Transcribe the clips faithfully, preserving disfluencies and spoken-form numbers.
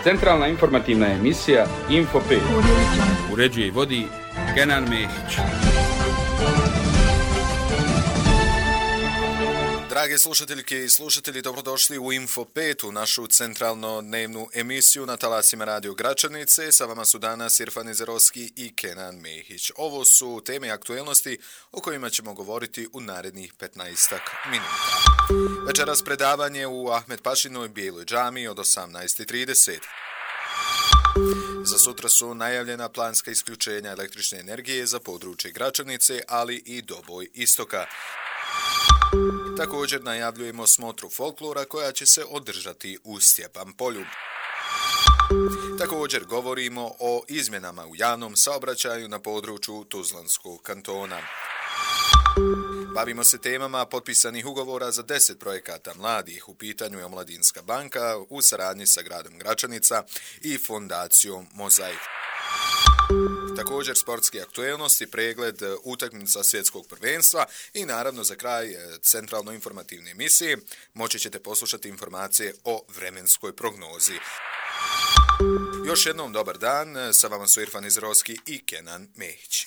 Centralna informativna emisija Info pet. Uređuje i vodi Kenan Mehić. Drage slušateljke i slušatelji, dobrodošli u Info pet, u našu centralno dnevnu emisiju na talasima Radio Gračanice. Sa vama su danas Irfan Izerovski i Kenan Mehić. Ovo su teme aktuelnosti o kojima ćemo govoriti u narednih petnaestak minuta. Večeras predavanje u Ahmed Pašinoj Bijeloj džamiji od osamnaest i trideset. Za sutra su najavljena planska isključenja električne energije za područje Gračanice, ali i Doboj istoka. Također najavljujemo smotru folklora koja će se održati u Stjepan polju. Također govorimo o izmjenama u javnom saobraćaju na području Tuzlanskog kantona. Bavimo se temama potpisanih ugovora za deset projekata mladih. U pitanju je Omladinska banka u saradnji sa gradom Gračanica i fondacijom Mozaik. Također sportske aktuelnosti, pregled utakmica svjetskog prvenstva i naravno za kraj centralno informativne emisije moći ćete poslušati informacije o vremenskoj prognozi. Još jednom dobar dan, sa vama su Irfan Izerovski i Kenan Mehić.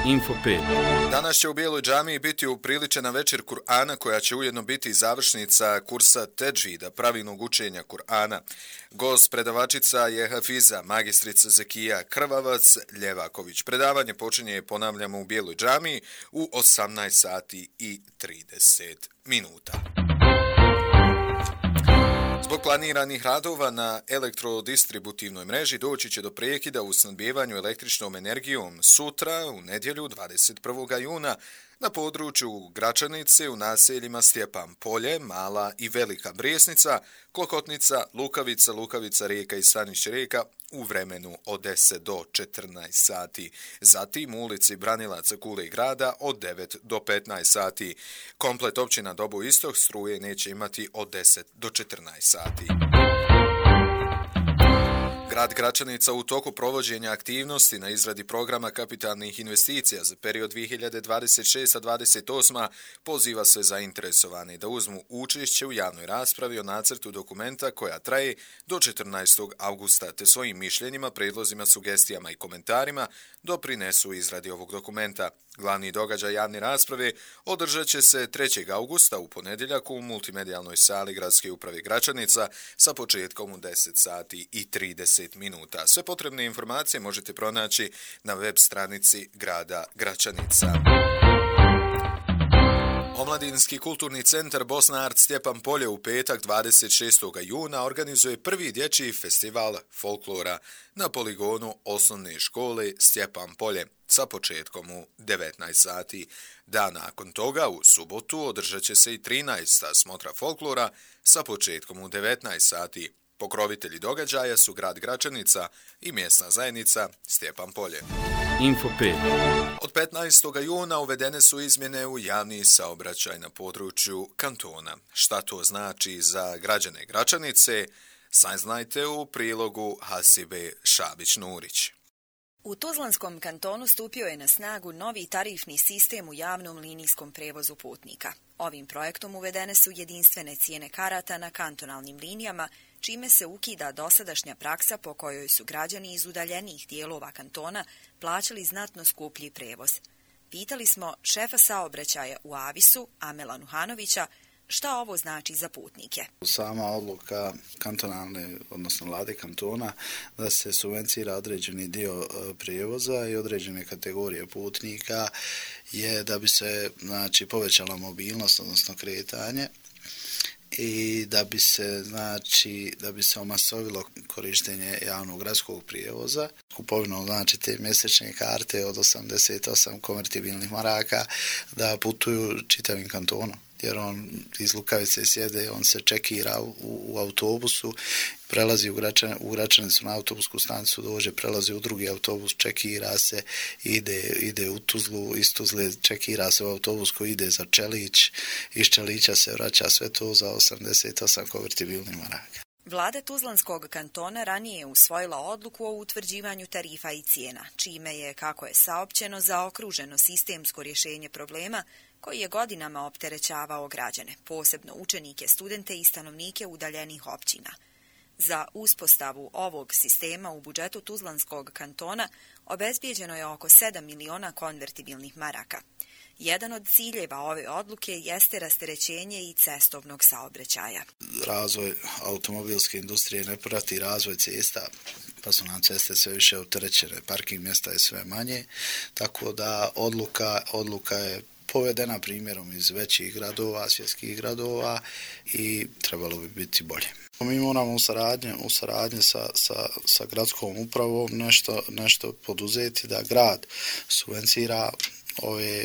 Info pet. Danas će u Bijeloj džamiji biti upriličena večer Kur'ana koja će ujedno biti završnica kursa Tedžvida, pravilnog učenja Kur'ana. Gost predavačica je Hafiza, magistrica Zekija Krvavac Ljevaković. Predavanje počinje, ponavljamo, u Bijeloj džamiji u osamnaest sati i trideset minuta. Zbog planiranih radova na elektrodistributivnoj mreži doći će do prekida u snabdevanju električnom energijom sutra, u nedjelju dvadeset prvog juna, na području Gračanice u naseljima Stjepan polje, Mala i Velika Brijesnica, Klokotnica, Lukavica, Lukavica Rijeka i Stanišće Rijeka u vremenu od deset do četrnaest sati. Zatim u ulici Branilaca Kule i Grada od devet do petnaest sati. Komplet općina Doboj istok struje neće imati od deset do četrnaest sati. Grad Gračanica u toku provođenja aktivnosti na izradi programa kapitalnih investicija za period dvije hiljade dvadeset šesta do dvadeset osma poziva sve zainteresovane da uzmu učešće u javnoj raspravi o nacrtu dokumenta koja traje do četrnaestog avgusta te svojim mišljenjima, prijedlozima, sugestijama i komentarima doprinesu izradi ovog dokumenta. Glavni događaj javne rasprave održat će se trećeg avgusta u ponedjeljak u multimedijalnoj sali Gradske uprave Gračanica sa početkom u deset sati i trideset minuta. Sve potrebne informacije možete pronaći na web stranici grada Gračanica. Omladinski kulturni centar Bosna Art Stjepan polje u petak dvadeset šestog juna organizuje prvi dječji festival folklora na poligonu osnovne škole Stjepan polje sa početkom u devetnaest sati. Dan nakon toga, u subotu, održat će se i trinaesta smotra folklora sa početkom u devetnaest sati. Pokrovitelji događaja su grad Gračanica i mjesna zajednica Stjepan polje. Info pet. Od petnaestog juna uvedene su izmjene u javni saobraćaj na području kantona. Šta to znači za građane Gračanice? Saznajte u prilogu Hasibe Šabić-Nurić. U Tuzlanskom kantonu stupio je na snagu novi tarifni sistem u javnom linijskom prevozu putnika. Ovim projektom uvedene su jedinstvene cijene karata na kantonalnim linijama, čime se ukida dosadašnja praksa po kojoj su građani iz udaljenijih dijelova kantona plaćali znatno skuplji prevoz. Pitali smo šefa saobraćaja u Avisu, Amela Nuhanovića, šta ovo znači za putnike? Sama odluka kantonalne, odnosno vlade kantona, da se subvencira određeni dio prijevoza i određene kategorije putnika je da bi se, znači, povećala mobilnost, odnosno kretanje, i da bi se, znači, da bi se omasovilo korištenje javnog gradskog prijevoza, kupovinom, znači, te mjesečne karte od osamdeset osam konvertibilnih maraka da putuju čitavim kantonom. Jer on iz Lukavice sjede, on se čekira u, u autobusu, prelazi u, Gračan, u Gračanicu na autobusku stanicu, dođe, prelazi u drugi autobus, čekira se, ide, ide u Tuzlu, iz Tuzle čekira se u autobus koji ide za Čelić, iz Čelića se vraća, sve to za osamdeset osam konvertibilnih maraka. Vlada Tuzlanskog kantona ranije je usvojila odluku o utvrđivanju tarifa i cijena, čime je, kako je saopćeno, zaokruženo sistemsko rješenje problema koji je godinama opterećavao građane, posebno učenike, studente i stanovnike udaljenih općina. Za uspostavu ovog sistema u budžetu Tuzlanskog kantona obezbijeđeno je oko sedam miliona konvertibilnih maraka. Jedan od ciljeva ove odluke jeste rasterećenje i cestovnog saobraćaja. Razvoj automobilske industrije ne prati razvoj cesta, pa su nam ceste sve više opterećene, parking mjesta je sve manje, tako da odluka, odluka je povedena primjerom iz većih gradova, svjetskih gradova i trebalo bi biti bolje. Mi moramo u saradnji, u saradnji sa, sa, sa gradskom upravom nešto, nešto poduzeti da grad subvencira ove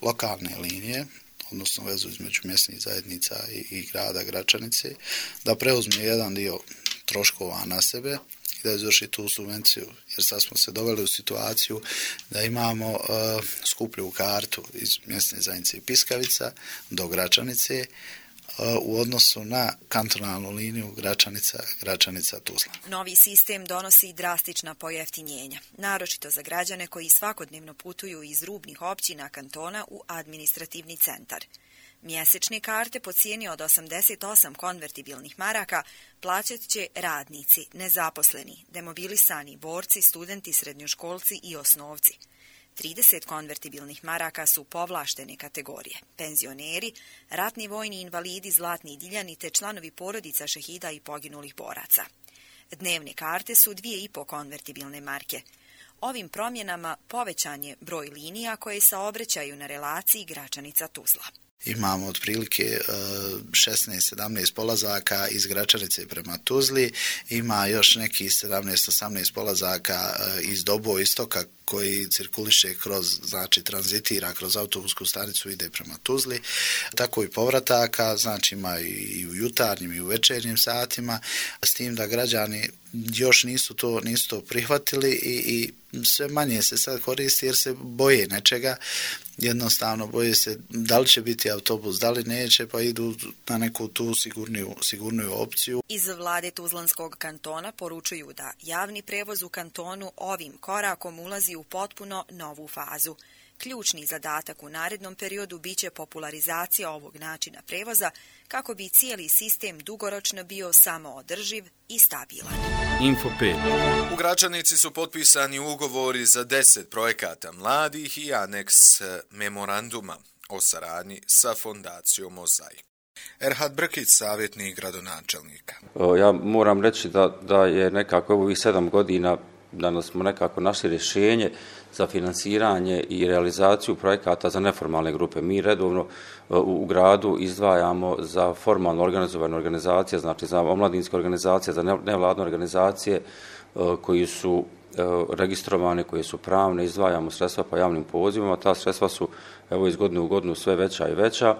lokalne linije, odnosno vezu između mjesnih zajednica i, i grada Gračanice, da preuzme jedan dio troškova na sebe i da izvrši tu subvenciju, jer sad smo se doveli u situaciju da imamo uh, skuplju kartu iz mjesne zajednice Piskavica do Gračanice uh, u odnosu na kantonalnu liniju Gračanica, Gračanica Tuzla. Novi sistem donosi drastična pojeftinjenja, naročito za građane koji svakodnevno putuju iz rubnih općina kantona u administrativni centar. Mjesečne karte po cijeni od osamdeset osam konvertibilnih maraka plaćat će radnici, nezaposleni, demobilisani, borci, studenti, srednjoškolci i osnovci. trideset konvertibilnih maraka su povlaštene kategorije, penzioneri, ratni vojni invalidi, zlatni diljani te članovi porodica šehida i poginulih boraca. Dnevne karte su dvije i po konvertibilne marke. Ovim promjenama povećan je broj linija koje saobraćaju na relaciji Gračanica-Tuzla. Imamo otprilike šesnaest sedamnaest polazaka iz Gračanice prema Tuzli, ima još neki sedamnaest osamnaest polazaka iz Dobo istoka koji cirkuliše kroz, znači tranzitira kroz autobusku stanicu, ide prema Tuzli, tako i povrataka, znači ima i u jutarnjim i u večernjim satima, s tim da građani još nisu to, nisu to prihvatili i, i sve manje se sad koristi jer se boje nečega, jednostavno boje se da li će biti autobus, da li neće, pa idu na neku tu sigurniju, sigurniju opciju. Iz vlade Tuzlanskog kantona poručuju da javni prevoz u kantonu ovim korakom ulazi u potpuno novu fazu. Ključni zadatak u narednom periodu biće popularizacija ovog načina prevoza kako bi cijeli sistem dugoročno bio samoodrživ i stabilan. Info pet. U Gračanici su potpisani ugovori za deset projekata mladih i aneks memoranduma o saradnji sa fondacijom Mozaik. Erhad Brkić, savjetnik gradonačelnika. Ja moram reći da, da je nekako ovih sedam godina da smo nekako našli rješenje za financiranje i realizaciju projekata za neformalne grupe. Mi redovno u, u gradu izdvajamo za formalno organizovane organizacije, znači za omladinske organizacije, za nevladne organizacije koji su registrovane, koje su pravne, izdvajamo sredstva po javnim pozivima. Ta sredstva su evo iz godine u godinu sve veća i veća.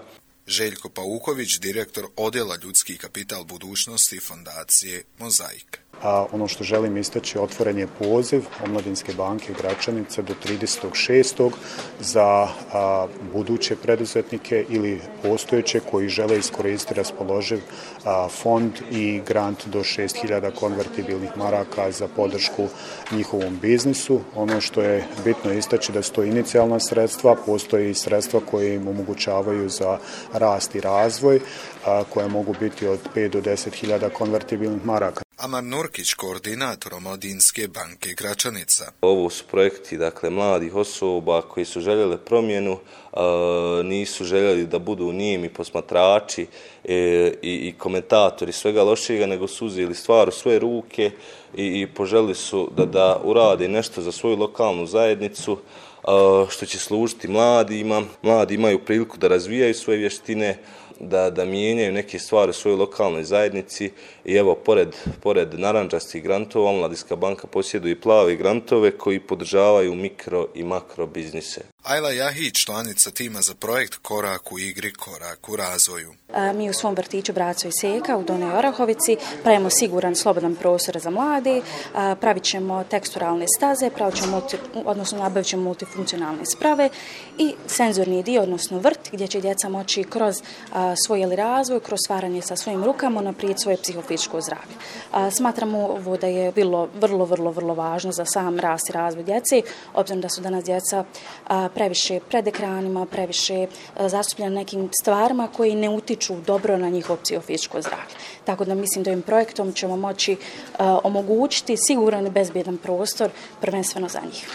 Željko Pauković, direktor Odjela ljudski kapital budućnosti fondacije Mozaik. A ono što želim istaći, otvoren je poziv Omladinske banke Gračanice do tridesetog šestog za a, buduće preduzetnike ili postojeće koji žele iskoristiti raspoloživ a, fond i grant do šest hiljada konvertibilnih maraka za podršku njihovom biznisu. Ono što je bitno istaći da su to inicijalna sredstva, postoje i sredstva koje im omogućavaju za rast i razvoj, a, koje mogu biti od pet do deset hiljada konvertibilnih maraka. Amar Nurkić, koordinator Omladinske banke Gračanica. Ovo su projekti, dakle, mladih osoba koji su željeli promjenu, a, nisu željeli da budu nijemi posmatrači e, i, i komentatori svega lošega, nego su uzeli stvar u svoje ruke i, i poželjeli su da, da urade nešto za svoju lokalnu zajednicu, a, što će služiti mladima. Mladi imaju priliku da razvijaju svoje vještine, da, da mijenjaju neke stvari u svojoj lokalnoj zajednici i evo, pored, pored narančastih grantova, Omladinska banka posjeduje i plave grantove koji podržavaju mikro i makro biznise. Ajla Jahić, članica tima za projekt Korak u igri, korak u razvoju. A, mi u svom vrtiću Braco i Seka u Donjoj Orahovici pravimo siguran slobodan prostor za mlade, a, pravit ćemo teksturalne staze, pravit ćemo multi, odnosno nabavit ćemo multifunkcionalne sprave i senzorni dio, odnosno vrt, gdje će djeca moći kroz a, svoj razvoj, kroz stvaranje sa svojim rukama naprijed svoje psihofizičko zdravlje. A, smatramo ovo da je bilo vrlo, vrlo, vrlo važno za sam rast i razvoj djece, obzirom da su danas djeca a, previše pred ekranima, previše zastupljeni nekim stvarima koji ne utiču dobro na njihovo psihofizičko zdravlje. Tako da mislim da ovim projektom ćemo moći omogućiti siguran i bezbjedan prostor prvenstveno za njih.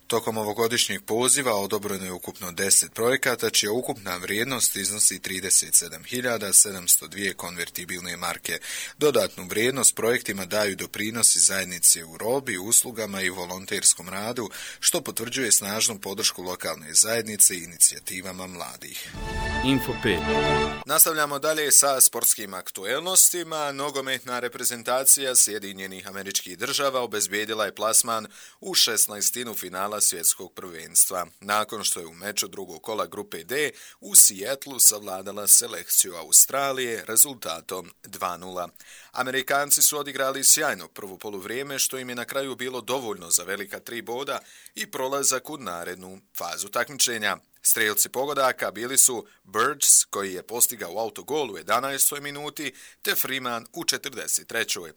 Tokom ovogodišnjeg poziva odobreno je ukupno deset projekata, čija ukupna vrijednost iznosi trideset sedam hiljada sedamsto dvije konvertibilne marke. Dodatnu vrijednost projektima daju doprinosi zajednice u robi, uslugama i volonterskom radu, što potvrđuje snažnu podršku lokalne zajednice i inicijativama mladih. Info pet. Nastavljamo dalje sa sportskim aktuelnostima. Nogometna reprezentacija Sjedinjenih Američkih Država obezbijedila je plasman u šesnaestinu finala svjetskog prvenstva, nakon što je u meču drugog kola grupe D u Seattlu savladala selekciju Australije rezultatom dva nula. Amerikanci su odigrali sjajno prvo poluvrijeme, što im je na kraju bilo dovoljno za velika tri boda i prolazak u narednu fazu takmičenja. Strelci pogodaka bili su Birds, koji je postigao autogol u jedanaestoj minuti, te Freeman u četrdeset trećoj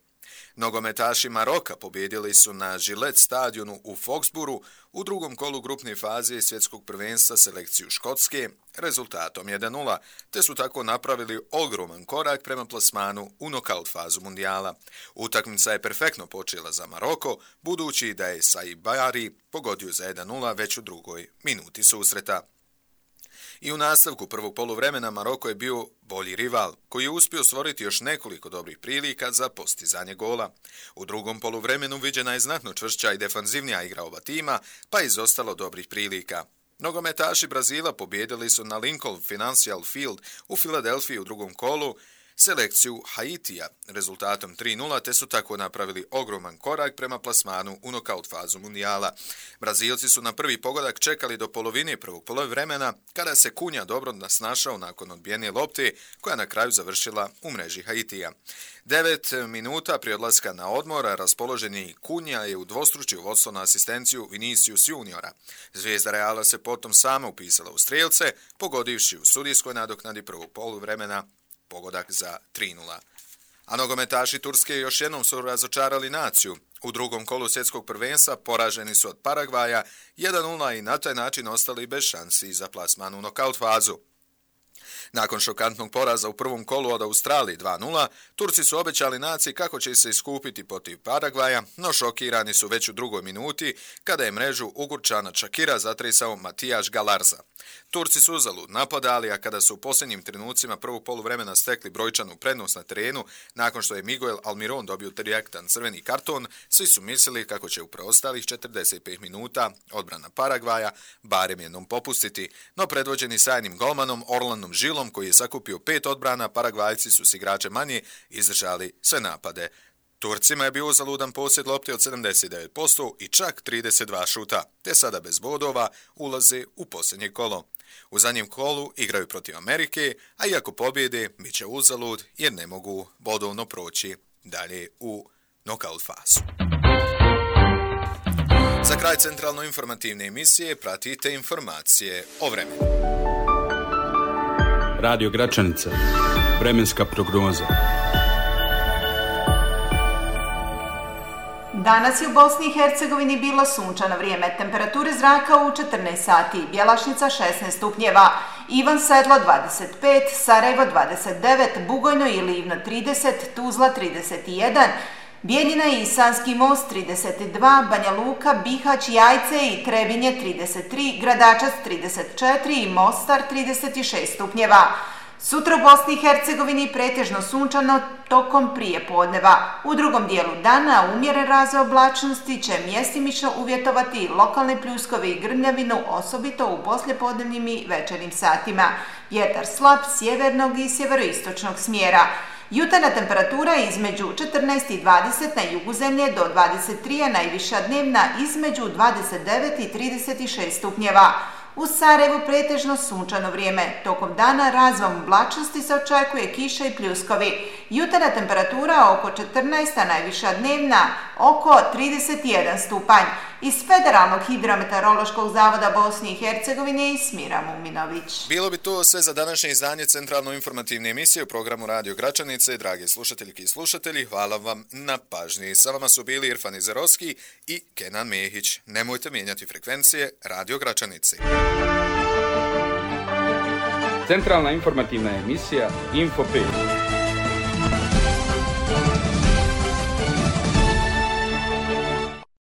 Nogometaši Maroka pobjedili su na Gillette stadionu u Foxboroughu u drugom kolu grupne faze svjetskog prvenstva selekciju Škotske rezultatom jedan nula, te su tako napravili ogroman korak prema plasmanu u nokaut fazu mundijala. Utakmica je perfektno počela za Maroko, budući da je Saibari pogodio za jedan nula već u drugoj minuti susreta. I u nastavku prvog poluvremena Maroko je bio bolji rival, koji je uspio stvoriti još nekoliko dobrih prilika za postizanje gola. U drugom poluvremenu viđena je znatno čvršća i defanzivnija igra oba tima, pa je izostalo dobrih prilika. Nogometaši Brazila pobjedili su na Lincoln Financial Field u Filadelfiji u drugom kolu selekciju Haitija rezultatom tri nula, te su tako napravili ogroman korak prema plasmanu u nokaut fazu mundijala. Brazilci su na prvi pogodak čekali do polovine prvog poluvremena, kada se Kunja dobro nasnašao nakon odbijene lopte, koja na kraju završila u mreži Haitija. Devet minuta prije odlaska na odmor, raspoloženi Kunja je udvostručio vodstvo na asistenciju Vinicius Juniora. Zvijezda Reala se potom sama upisala u strelce, pogodivši u sudijskoj nadoknadi prvog poluvremena pogodak za tri nula. A nogometaši Turske još jednom su razočarali naciju. U drugom kolu svjetskog prvenstva poraženi su od Paragvaja jedan nula i na taj način ostali bez šansi za plasman u nokaut fazu. Nakon šokantnog poraza u prvom kolu od Australije dva nula, Turci su obećali naciji kako će se iskupiti protiv Paragvaja, no šokirani su već u drugoj minuti, kada je mrežu Ugurčana Čakira zatresao Matijaš Galarza. Turci su uzalud napadali, a kada su u posljednjim trenucima prvog poluvremena stekli brojčanu prednost na terenu, nakon što je Miguel Almiron dobio direktan crveni karton, svi su mislili kako će u preostalih četrdeset pet minuta odbrana Paragvaja barem jednom popustiti, no predvođeni sajnim golmanom Orlandom Žilom, koji je sakupio pet odbrana, Paragvajci su s igračem manje izdržali sve napade. Turcima je bio uzaludan posjed lopte od sedamdeset devet posto i čak trideset dva šuta, te sada bez bodova ulaze u posljednje kolo. U zadnjem kolu igraju protiv Amerike, a iako pobjede, bit će uzalud jer ne mogu bodovno proći dalje u nokaut fazu. Za kraj centralno informativne emisije pratite informacije o vremenu. Radio Gračanica. Vremenska prognoza. Danas je u Bosni i Hercegovini bilo sunčano vrijeme, temperature zraka u četrnaest sati, Bjelašnica šesnaest stupnjeva, Ivan Sedlo dvadeset pet, Sarajevo dvadeset devet, Bugojno i Livno trideset, Tuzla trideset jedan, Bijeljina i Sanski most trideset dva, Banja Luka, Bihać, Jajce i Trebinje trideset tri, Gradačac trideset četiri i Mostar trideset šest stupnjeva. Sutra u Bosni i Hercegovini pretežno sunčano tokom prije podneva. U drugom dijelu dana umjeren razvoj oblačnosti će mjestimično uvjetovati lokalne pljuskove i grmljavinu, osobito u poslijepodnevnim i večernjim satima. Vjetar slab sjevernog i sjeveroistočnog smjera. Jutarnja temperatura između četrnaest i dvadeset na jugu zemlje do dvadeset tri, a najviša dnevna između dvadeset devet i trideset šest stupnjeva. U Sarajevu pretežno sunčano vrijeme. Tokom dana razvom oblačnosti se očekuje kiša i pljuskovi. Jutarnja temperatura oko četrnaest, a najviša dnevna oko trideset jedan stupanj. Iz Federalnog hidrometeorološkog zavoda Bosne i Hercegovine i Smira Muminović. Bilo bi to sve za današnje izdanje centralno-informativne emisije u programu Radio Gračanice. Dragi slušateljki i slušatelji, hvala vam na pažnji. Sa vama su bili Irfan Izerovski i Kenan Mehić. Nemojte mijenjati frekvencije Radio Gračanice. Centralna informativna emisija Info pet.